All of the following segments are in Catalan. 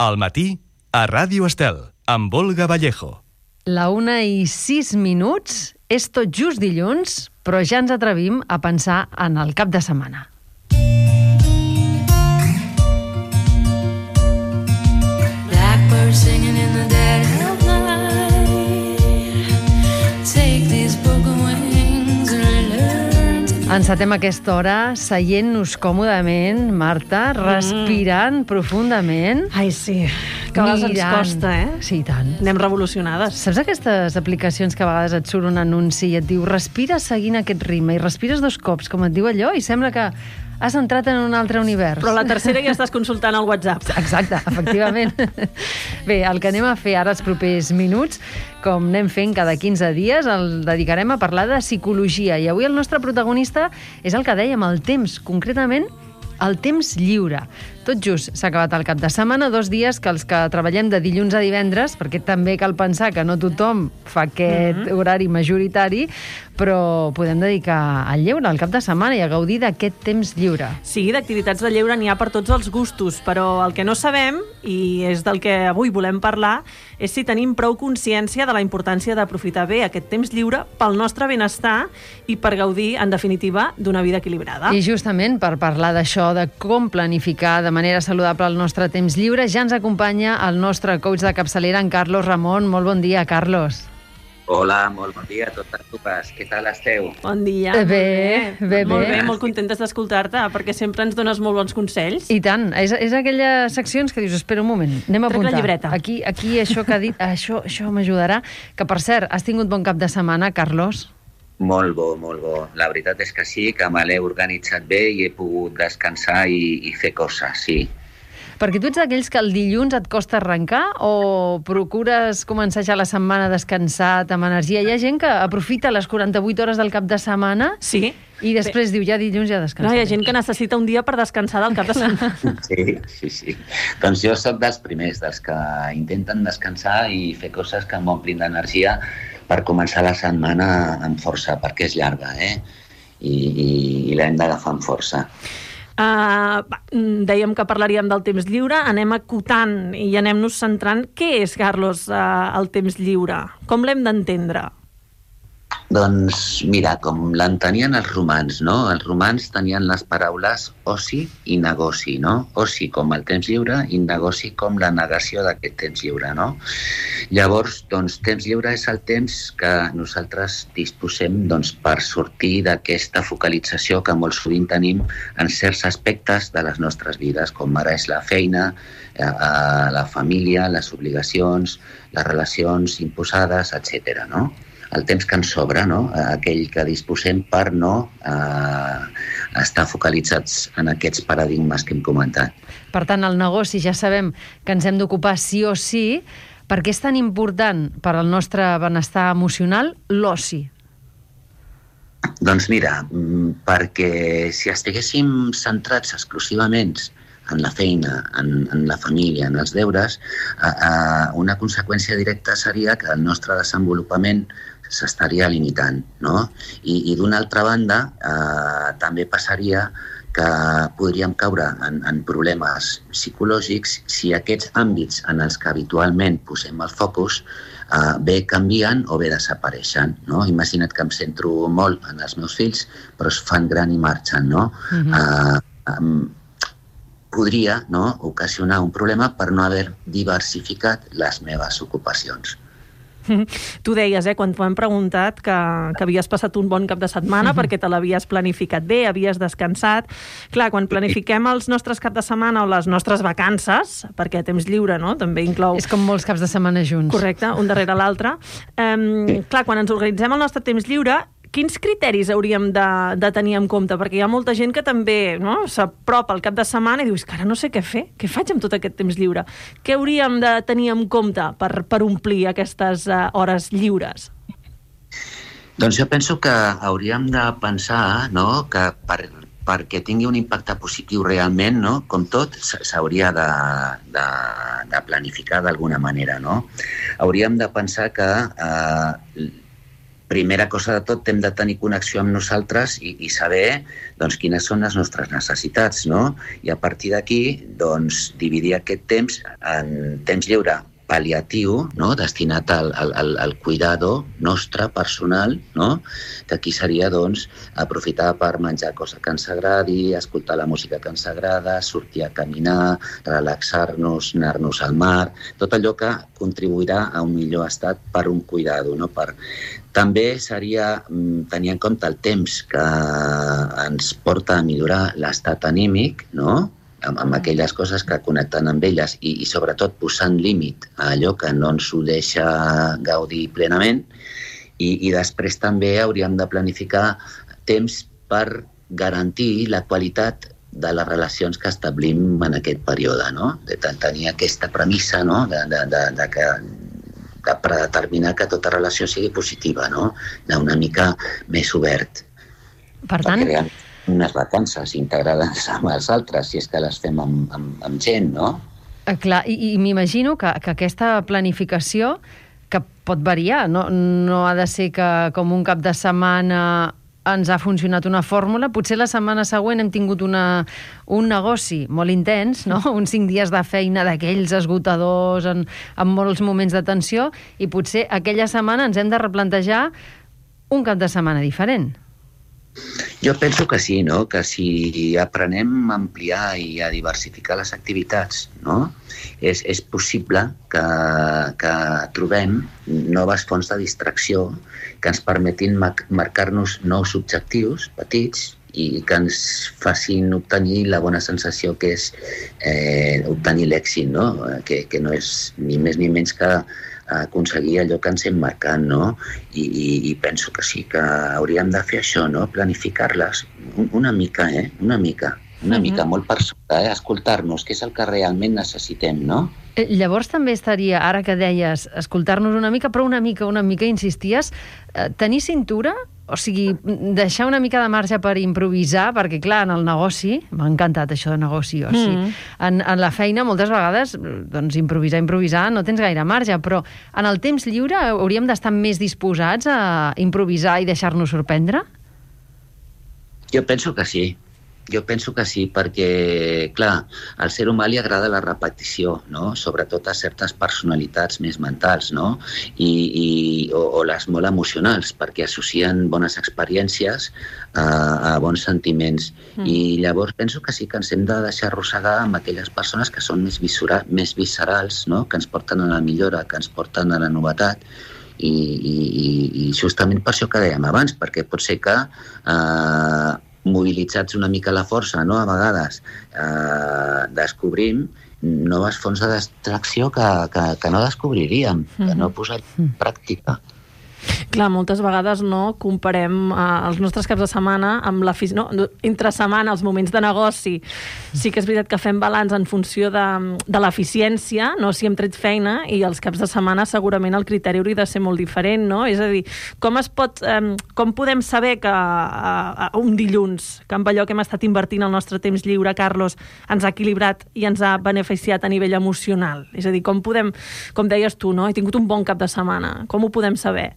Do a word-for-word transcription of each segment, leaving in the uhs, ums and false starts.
Al matí, a Ràdio Estel, amb Olga Vallejo. La una i sis minuts, és tot just dilluns, però ja ens atrevim a pensar en el cap de setmana. Blackbird singing in the dead of night. Take these broken wings and learn to... Encetem aquesta hora seient-nos còmodament, Marta, respirant mm. profundament. Ai, sí, que a vegades ens costa, eh? Sí, tant. Anem revolucionades. Saps aquestes aplicacions que a vegades et surt un anunci i et diu respira seguint aquest ritme i respires dos cops, com et diu allò, i sembla que has entrat en un altre univers. Però la tercera ja estàs consultant el WhatsApp. Exacte, efectivament. Bé, el que anem a fer ara els propers minuts, com anem fent cada quinze dies, el dedicarem a parlar de psicologia. I avui el nostre protagonista és el que dèiem, el temps, concretament el temps lliure. Tot just s'ha acabat el cap de setmana, dos dies que els que treballem de dilluns a divendres, perquè també cal pensar que no tothom fa aquest mm-hmm. horari majoritari, però podem dedicar al lleure, al cap de setmana, i a gaudir d'aquest temps lliure. Sí, d'activitats de lleure n'hi ha per tots els gustos, però el que no sabem, i és del que avui volem parlar, és si tenim prou consciència de la importància d'aprofitar bé aquest temps lliure pel nostre benestar i per gaudir, en definitiva, d'una vida equilibrada. I justament per parlar d'això, de com planificar de manera saludable el nostre temps lliure, ja ens acompanya el nostre coach de capçalera, en Carlos Ramon. Molt bon dia, Carlos. Hola, molt bon dia a totes dues. Què tal esteu? Bon dia. Bé, bé, bé. Molt bé, molt contentes d'escoltar-te, perquè sempre ens dones molt bons consells. I tant. És, és aquelles seccions que dius, espera un moment, anem a Trec apuntar. la llibreta. Aquí, aquí això que ha dit, això, això m'ajudarà. Que, per cert, has tingut bon cap de setmana, Carlos? Molt bo, molt bo. La veritat és que sí, que me l'he organitzat bé i he pogut descansar i, i fer coses, sí. Perquè tu ets d'aquells que el dilluns et costa arrencar o procures començar ja la setmana descansat, amb energia? Hi ha gent que aprofita les quaranta-vuit hores del cap de setmana sí. i després bé. diu, ja dilluns ja descansaré. No, hi ha gent que necessita un dia per descansar del cap de setmana. Sí, sí, sí. Doncs jo sóc dels primers, dels que intenten descansar i fer coses que m'omplin d'energia per començar la setmana amb força, perquè és llarga, eh? I, i, i l'hem d'agafar amb força. Uh, dèiem que parlaríem del temps lliure, anem acotant i anem-nos centrant. Què és, Carlos, uh, el temps lliure? Com l'hem d'entendre? Doncs mira, com l'entenien els romans, no? Els romans tenien les paraules oci i negoci, no? Oci com el temps lliure i negoci com la negació d'aquest temps lliure, no? Llavors, doncs, temps lliure és el temps que nosaltres disposem doncs, per sortir d'aquesta focalització que molt sovint tenim en certs aspectes de les nostres vides, com ara és la feina, eh, la família, les obligacions, les relacions imposades, etcètera, no? El temps que ens sobra, no? Aquell que disposem per no eh, estar focalitzats en aquests paradigmes que hem comentat. Per tant, el negoci ja sabem que ens hem d'ocupar sí o sí. Per què és tan important per al nostre benestar emocional l'oci? Doncs mira, perquè si estiguéssim centrats exclusivament en la feina, en, en la família, en els deures, eh, eh, una conseqüència directa seria que el nostre desenvolupament s'estaria limitant, no? I, i d'una altra banda, eh, també passaria que podríem caure en, en problemes psicològics si aquests àmbits en els que habitualment posem el focus eh, bé canvien o bé desapareixen, no? Imagina't que em centro molt en els meus fills, però es fan gran i marxen, no? Mm-hmm. eh, eh, podria, no, ocasionar un problema per no haver diversificat les meves ocupacions. Tu deies, eh, quan t'ho hem preguntat, que, que havies passat un bon cap de setmana perquè te l'havies planificat bé, havies descansat. Clar, quan planifiquem els nostres cap de setmana o les nostres vacances, perquè temps lliure, no?, també inclou... És com molts caps de setmana junts. Correcte, un darrere l'altre. Um, clar, quan ens organitzem el nostre temps lliure, quins criteris hauríem de, de tenir en compte? Perquè hi ha molta gent que també, no, s'apropa al cap de setmana i diu, és que ara no sé què fer, què faig amb tot aquest temps lliure? Què hauríem de tenir en compte per, per omplir aquestes uh, hores lliures? Doncs jo penso que hauríem de pensar, no, que per, perquè tingui un impacte positiu realment, no, com tot, s'hauria de, de, de planificar d'alguna manera, no? Hauríem de pensar que eh, primera cosa de tot, hem de tenir connexió amb nosaltres i, i saber doncs, quines són les nostres necessitats, no? I a partir d'aquí, doncs, dividir aquest temps en temps lliure pal·liatiu, no? Destinat al, al, al cuidado nostre, personal, no? Que aquí seria, doncs, aprofitar per menjar cosa que ens agradi, escoltar la música que ens agrada, sortir a caminar, relaxar-nos, anar-nos al mar, tot allò que contribuirà a un millor estat per un cuidado, no? Per... També seria tenir en compte el temps que ens porta a millorar l'estat anímic, no? Amb, amb aquelles coses que connecten amb elles i, i sobretot posant límit a allò que no ens ho deixa gaudir plenament i, i després també hauríem de planificar temps per garantir la qualitat de les relacions que establim en aquest període, no? De tenir aquesta premissa, no? de, de, de, de que de predeterminar que tota relació sigui positiva, no? D'una mica més obert. Per tant... Perquè unes vacances integrades amb els altres, si és que les fem amb, amb, amb gent, no? Eh, clar, i, i m'imagino que, que aquesta planificació, que pot variar, no, no ha de ser que com un cap de setmana ens ha funcionat una fórmula, potser la setmana següent hem tingut una, un negoci molt intens, no? Uns cinc dies de feina d'aquells esgotadors, en, amb molts moments de tensió, i potser aquella setmana ens hem de replantejar un cap de setmana diferent. Jo penso que sí, no? Que si aprenem a ampliar i a diversificar les activitats, no? És, és possible que, que trobem noves fonts de distracció que ens permetin marcar-nos nous objectius petits i que ens facin obtenir la bona sensació que és eh, obtenir l'èxit, no? Que, que no és ni més ni menys que aconseguir allò que ens hem marcat, no? I, i, i penso que sí, que hauríem de fer això, no? Planificar-les una mica, eh? Una mica, una mm-hmm. mica, molt per sota, eh? Escoltar-nos, què és el que realment necessitem, no? Eh, llavors també estaria, ara que deies, escoltar-nos una mica, però una mica, una mica, insisties, eh, tenir cintura? O sigui, deixar una mica de marge per improvisar, perquè, clar, en el negoci, m'ha encantat això de negoci, o sigui, mm. en, en la feina, moltes vegades, doncs, improvisar, improvisar, no tens gaire marge, però en el temps lliure hauríem d'estar més disposats a improvisar i deixar-nos sorprendre? Jo penso que sí. Jo penso que sí, perquè, clar, al ser humà li agrada la repetició, no? Sobretot a certes personalitats més mentals, no? I, i, o, o les molt emocionals, perquè associen bones experiències a, a bons sentiments. Mm. I llavors penso que sí que ens hem de deixar arrossegar amb aquelles persones que són més, visura, més viscerals, no? Que ens porten a la millora, que ens porten a la novetat. I, i, i justament per això que dèiem abans, perquè pot ser que... Eh, mobilitzats una mica la força, no? A vegades eh, descobrim noves fonts de distracció que, que, que no descobriríem, mm-hmm. que no posaríem en pràctica. Clar, moltes vegades no comparem eh, els nostres caps de setmana amb la no, entre setmana, els moments de negoci. Sí que és veritat que fem balanç en funció de, de l'eficiència, no? Si hem tret feina, i els caps de setmana segurament el criteri hauria de ser molt diferent, no? És a dir, com es pot, eh, com podem saber que eh, un dilluns, que amb allò que hem estat invertint el nostre temps lliure, Carlos, ens ha equilibrat i ens ha beneficiat a nivell emocional? És a dir, com podem, com deies tu, no? He tingut un bon cap de setmana. Com ho podem saber?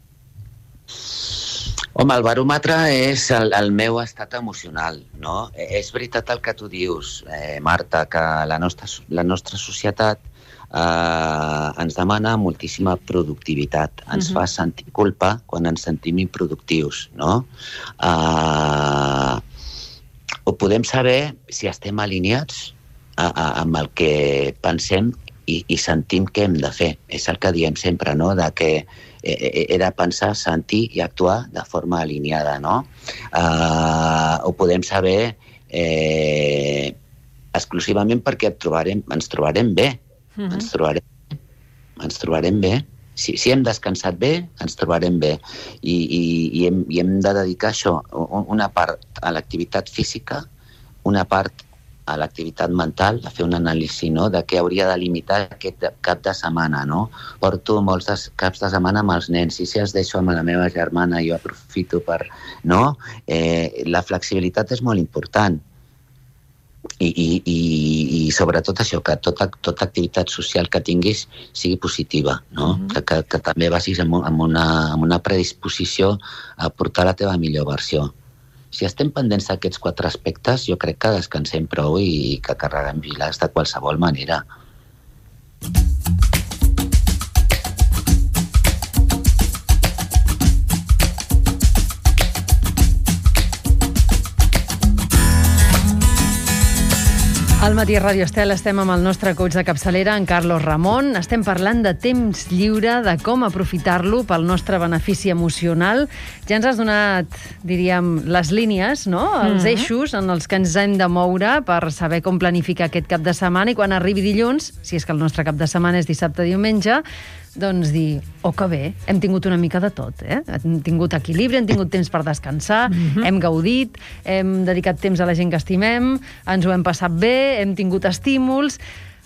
Home, el baròmetre és el, el meu estat emocional, no? És veritat el que tu dius, eh, Marta, que la nostra, la nostra societat eh, ens demana moltíssima productivitat. Ens uh-huh. fa sentir culpa quan ens sentim improductius, no? Eh, ho podem saber si estem alineats a, a, amb el que pensem i, i sentim que hem de fer. És el que diem sempre, no? De que he de pensar, sentir i actuar de forma alineada, no? Uh, ho podem saber eh, exclusivament perquè et trobarem, ens trobarem bé. Uh-huh. Ens trobarem, ens trobarem bé. Si, si hem descansat bé, ens trobarem bé. I, i, i, hem, i hem de dedicar això, una part a l'activitat física, una part a l'activitat mental, a fer un anàlisi, no?, de què hauria de limitar aquest cap de setmana, no? Porto molts de, caps de setmana amb els nens, i si els deixo amb la meva germana jo aprofito per... No? Eh, la flexibilitat és molt important. i, i, i, i sobretot això, que tota, tota activitat social que tinguis sigui positiva, no? Mm-hmm. que, que, que també vagis amb, amb, una, amb una predisposició a portar la teva millor versió. Si estem pendents d'aquests quatre aspectes, jo crec que descansem prou i que carreguem pilars de qualsevol manera. Al Matí Ràdio Estel estem amb el nostre coach de capçalera, en Carlos Ramon. Estem parlant de temps lliure, de com aprofitar-lo pel nostre benefici emocional. Ja ens has donat, diríem, les línies, no? Els mm-hmm. eixos en els que ens hem de moure per saber com planificar aquest cap de setmana i quan arribi dilluns, si és que el nostre cap de setmana és dissabte o diumenge, doncs dir, oh que bé, hem tingut una mica de tot, eh? Hem tingut equilibri, hem tingut temps per descansar, mm-hmm. hem gaudit, hem dedicat temps a la gent que estimem, ens ho hem passat bé, hem tingut estímuls.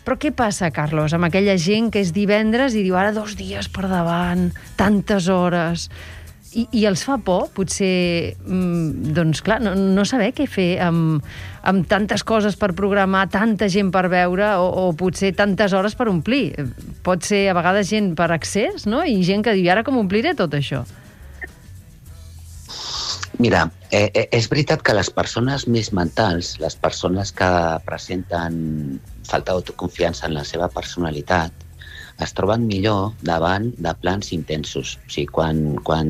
Però què passa, Carlos, amb aquella gent que és divendres i diu ara dos dies per davant, tantes hores... I, i els fa por, potser, doncs clar, no, no saber què fer amb, amb tantes coses per programar, tanta gent per veure o, o potser tantes hores per omplir. Pot ser a vegades gent per accés, no? I gent que diu, ara com ompliré tot això? Mira, eh, eh, és veritat que les persones més mentals, les persones que presenten falta d'autoconfiança en la seva personalitat, es troben millor davant de plans intensos. O sigui, quan, quan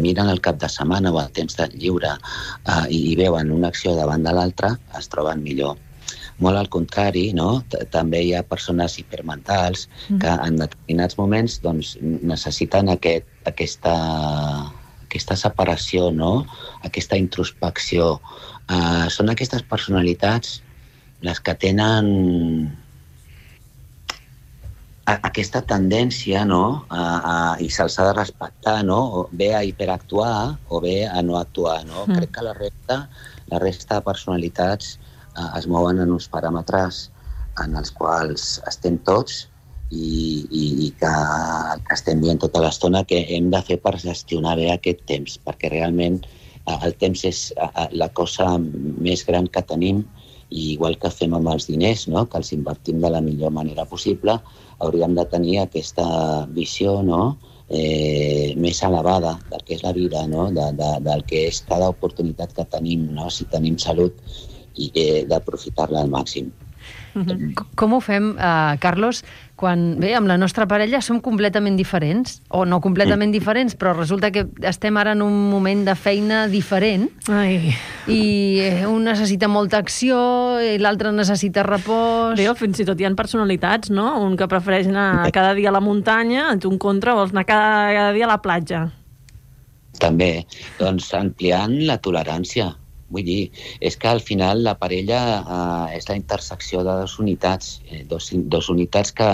miren el cap de setmana o el temps de lliure eh, i, i veuen una acció davant de l'altra, es troben millor. Molt al contrari, no? També hi ha persones hipermentals que en determinats moments doncs, necessiten aquest, aquesta, aquesta separació, no? Aquesta introspecció. Eh, són aquestes personalitats les que tenen aquesta tendència, no? a, a, i se'ls ha de respectar, no? O bé a hiperactuar o bé a no actuar, no? Mm. Crec que la resta, la resta de personalitats eh, es mouen en uns paràmetres en els quals estem tots i, i, i que, que estem dient tota l'estona que hem de fer per gestionar bé aquest temps, perquè realment eh, el temps és eh, la cosa més gran que tenim i igual que fem amb els diners, no? Que els invertim de la millor manera possible, hauríem de tenir aquesta visió, no? eh, més elevada del que és la vida, no? de, de, del que és cada oportunitat que tenim, no? Si tenim salut, i eh, d'aprofitar-la al màxim. Mm-hmm. Com ho fem, uh, Carlos, quan, bé, amb la nostra parella som completament diferents, o no completament mm. diferents, però resulta que estem ara en un moment de feina diferent. Ai. I un necessita molta acció i l'altre necessita repòs. Bé, fins i tot hi ha personalitats, no? Un que prefereix anar cada dia a la muntanya, tu en contra vols anar cada, cada dia a la platja. També, doncs ampliant la tolerància. Vull dir, és que al final la parella eh, és la intersecció de dues unitats, eh, dos, dos unitats que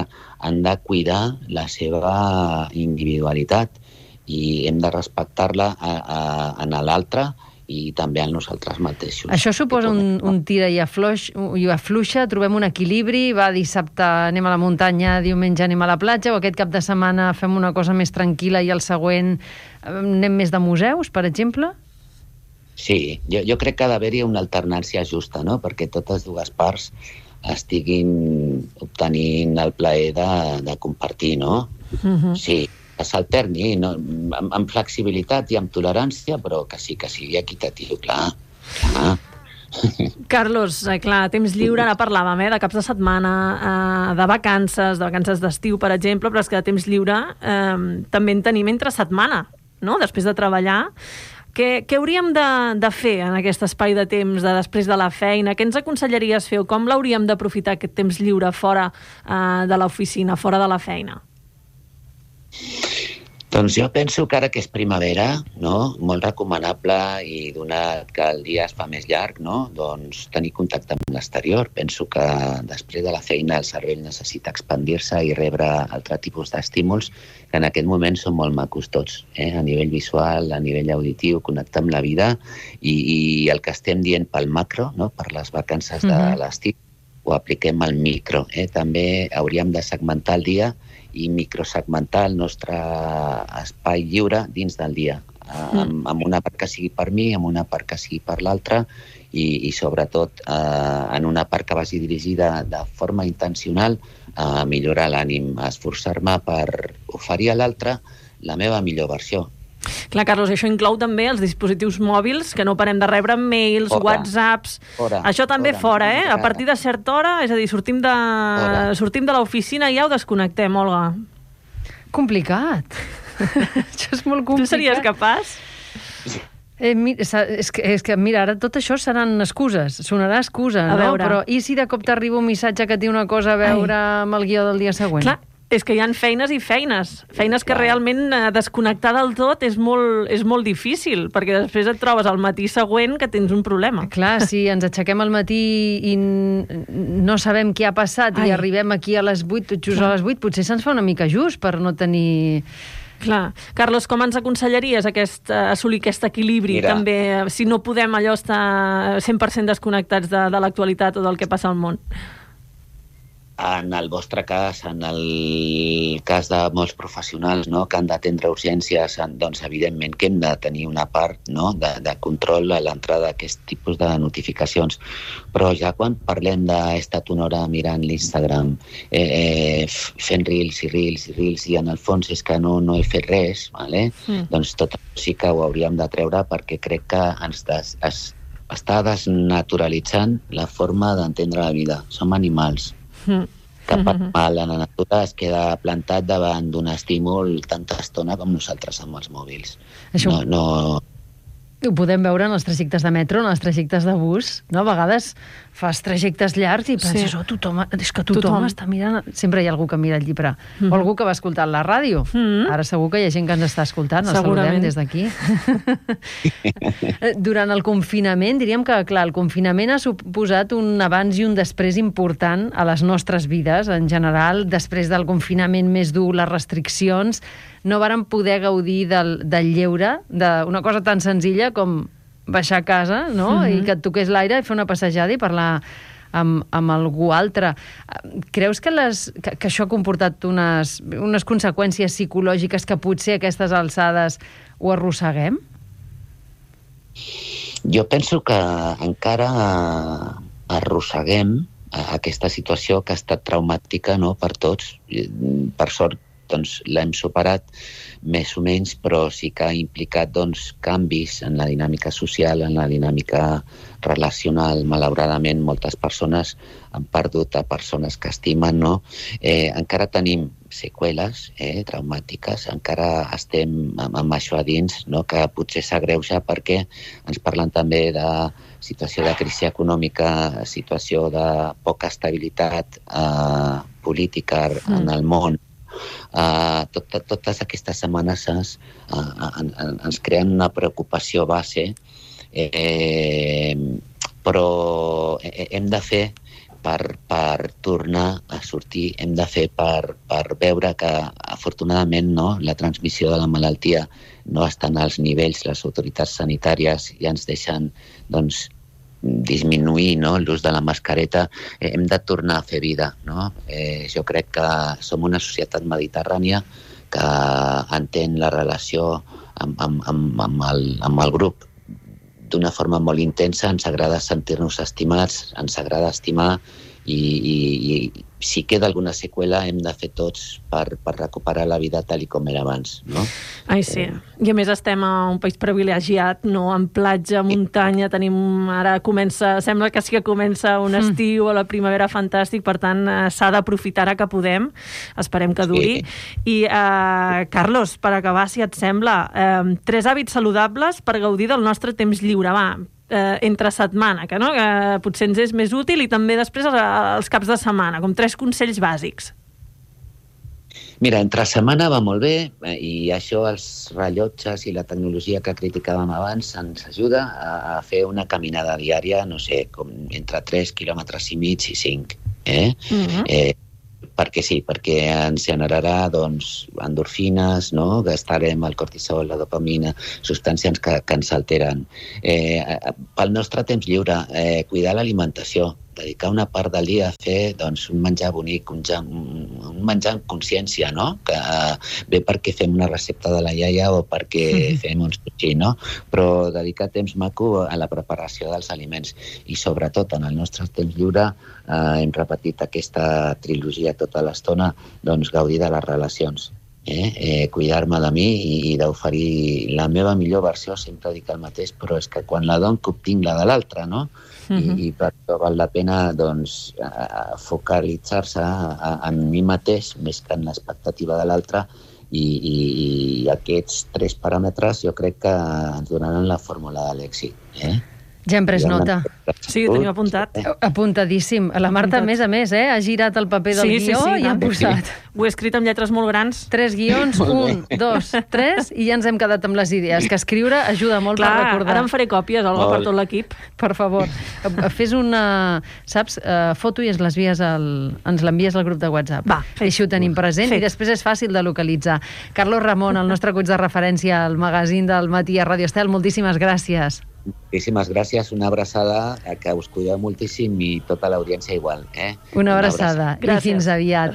han de cuidar la seva individualitat i hem de respectar-la a, a, en l'altre i també en nosaltres mateixos. Això suposa un, un tira i afluix, i afluixa, trobem un equilibri, va, dissabte anem a la muntanya, diumenge anem a la platja, o aquest cap de setmana fem una cosa més tranquil·la i el següent anem més de museus, per exemple? Sí, jo, jo crec que ha d'haver-hi una alternància justa, no? Perquè totes dues parts estiguin obtenint el plaer de, de compartir, no? Uh-huh. Sí, que s'alterni, no? amb, amb flexibilitat i amb tolerància, però que sí que sigui equitatiu, clar. clar. Carlos, eh, clar, temps lliure, ara parlàvem eh, de caps de setmana, eh, de vacances, de vacances d'estiu, per exemple, però és que de temps lliure eh, també en tenim entre setmana, no? Després de treballar. Què, què hauríem de, de fer en aquest espai de temps de després de la feina? Què ens aconsellaries fer o com l'hauríem d'aprofitar aquest temps lliure fora eh, de l'oficina, fora de la feina? Doncs jo penso que ara que és primavera, no? Molt recomanable i donat que el dia es fa més llarg, no? Doncs tenir contacte amb l'exterior. Penso que després de la feina el cervell necessita expandir-se i rebre altre tipus d'estímuls que en aquest moment són molt macos tots, eh? A nivell visual, a nivell auditiu, connectar amb la vida i, i el que estem dient pel macro, no? Per les vacances de l'estiu, ho apliquem al micro. Eh? També hauríem de segmentar el dia i microsegmentar el nostre espai lliure dins del dia. amb, amb una part que sigui per mi, amb una part que sigui per l'altra, i, i sobretot eh, en una part que vagi dirigida de forma intencional a millorar l'ànim, a esforçar-me per oferir a l'altre la meva millor versió. Clar, Carlos, això inclou també els dispositius mòbils, que no parem de rebre mails, fora, whatsapps... Fora, això també fora, fora, eh? A partir de certa hora, és a dir, sortim de, sortim de l'oficina i ja ho desconnectem, Olga. Complicat. Això és molt complicat. Tu series capaç? Eh, mira, és, que, és que, mira, ara tot això seran excuses, sonarà excusa, a no? Veure. Però i si de cop t'arriba un missatge que té una cosa a veure Ai. amb el guió del dia següent? Clar, és que hi ha feines i feines. Feines que realment desconnectar del tot és molt, és molt difícil, perquè després et trobes al matí següent que tens un problema. Clar, si ens aixequem al matí i no sabem què ha passat Ai. i arribem aquí a les vuit, tot just Clar. a les vuit, potser se'ns fa una mica just per no tenir... Clar. Carlos, com ens aconsellaries aquest, assolir aquest equilibri? Mira. També, si no podem allò estar cent per cent desconnectats de, de l'actualitat o del que passa al món? En el vostre cas, en el cas de molts professionals, no?, que han d'atendre urgències, doncs evidentment que hem de tenir una part, no?, de, de control a l'entrada d'aquest tipus de notificacions. Però ja quan parlem d'he estat una hora mirant l'Instagram, eh, eh, fent reels i reels i reels, i en el fons és que no, no he fet res, vale? mm. doncs tot sí que ho hauríem de treure, perquè crec que ens des, es, està desnaturalitzant la forma d'entendre la vida. Som animals. Mm. Cap animal en la natura es queda plantat davant d'un estímul tanta estona com nosaltres amb els mòbils. Això... No, no... Ho podem veure en els trajectes de metro, en els trajectes de bus, no? A vegades fas trajectes llargs i penses, sí. oh, tothom, és que tothom, tothom està mirant... Sempre hi ha algú que mira el llibre. Mm-hmm. O algú que va escoltant la ràdio. Mm-hmm. Ara segur que hi ha gent que ens està escoltant, els saludem des d'aquí. Durant el confinament, diríem que, clar, el confinament ha suposat un abans i un després important a les nostres vides, en general. Després del confinament més dur, les restriccions, no vàrem poder gaudir del, del lleure, d'una cosa tan senzilla com baixar a casa, no? Mm-hmm. I que et toqués l'aire i fer una passejada i parlar amb, amb algú altre. Creus que, les, que, que això ha comportat unes, unes conseqüències psicològiques que potser a aquestes alçades ho arrosseguem? Jo penso que encara arrosseguem aquesta situació que ha estat traumàtica, no?, per tots. Per sort, doncs l'hem superat més o menys, però sí que ha implicat doncs, canvis en la dinàmica social, en la dinàmica relacional. Malauradament, moltes persones han perdut a persones que estimen, no? Eh, encara tenim seqüeles eh, traumàtiques, encara estem amb, amb això a dins, no?, que potser s'agreuja perquè ens parlen també de situació de crisi econòmica, situació de poca estabilitat eh, política mm. en el món. Uh, tot, totes aquestes amenaces uh, en, en, ens creen una preocupació base, eh, però hem de fer per, per tornar a sortir, hem de fer per, per veure que afortunadament no, la transmissió de la malaltia no està als nivells, les autoritats sanitàries ja ens deixen doncs, disminuir no, l'ús de la mascareta. Eh, hem de tornar a fer vida. No? Eh, jo crec que som una societat mediterrània que entén la relació amb, amb, amb, amb, el, amb el grup d'una forma molt intensa. Ens agrada sentir-nos estimats, ens agrada estimar i, i, i si queda alguna seqüela hem de fer tots per, per recuperar la vida tal i com era abans. No? Ai, sí. I a més estem a un país privilegiat, no? En platja, muntanya, tenim... Ara comença... Sembla que sí que comença un estiu o la primavera fantàstic, per tant, s'ha d'aprofitar ara que podem. Esperem que duri. Sí. I, eh, Carlos, per acabar, si et sembla, eh, tres hàbits saludables per gaudir del nostre temps lliure. Va, eh, entre setmana, que, no? que potser ens és més útil, i també després els caps de setmana, com tres consells bàsics. Mira, entre setmana va molt bé, i això els rellotges i la tecnologia que criticàvem abans ens ajuda a fer una caminada diària, no sé, com entre tres quilòmetres i mig i cinc. Eh? Mm-hmm. eh, perquè sí, perquè ens generarà doncs, endorfines, no? Gastarem el cortisol, la dopamina, substàncies que, que ens alteren. Eh, pel nostre temps lliure, eh, cuidar l'alimentació, dedicar una part del dia a fer doncs, un menjar bonic, un, ja, un menjar amb consciència, no? Que bé perquè fem una recepta de la iaia o perquè mm-hmm. fem un sushi, no? Però dedicar temps maco a la preparació dels aliments i sobretot en el nostre temps lliure eh, hem repetit aquesta trilogia tota l'estona, doncs gaudir de les relacions. Eh? Eh, cuidar-me de mi i, i d'oferir la meva millor versió, sempre dic el mateix, però és que quan la dono que obtinc la de l'altra, no? Uh-huh. I, i per això val la pena doncs, uh, focalitzar-se en mi mateix més que en l'expectativa de l'altre i, i, i aquests tres paràmetres jo crec que ens donaran la fórmula de l'èxit. Eh? Ja hem pres nota. Sí, ho tenim apuntat. Apuntadíssim. La Marta, a més a més, eh, ha girat el paper del sí, guió sí, sí, i ha no? posat... Sí. Ho he escrit amb lletres molt grans. Tres guions, un, dos, tres, i ja ens hem quedat amb les idees, que escriure ajuda molt Clar, per recordar. Ara em faré còpies, Olga, per tot l'equip. Per favor, fes una, saps, uh, foto i ens les vies al, ens l'envies al grup de WhatsApp. Va, Així ho tenim present fet. I després és fàcil de localitzar. Carlos Ramon, el nostre coach de referència al magazín del matí a Ràdio Estel, moltíssimes gràcies. Moltíssimes gràcies, una abraçada, que us cuideu moltíssim i tota l'audiència igual. Eh? Una abraçada, una abraçada. I fins aviat.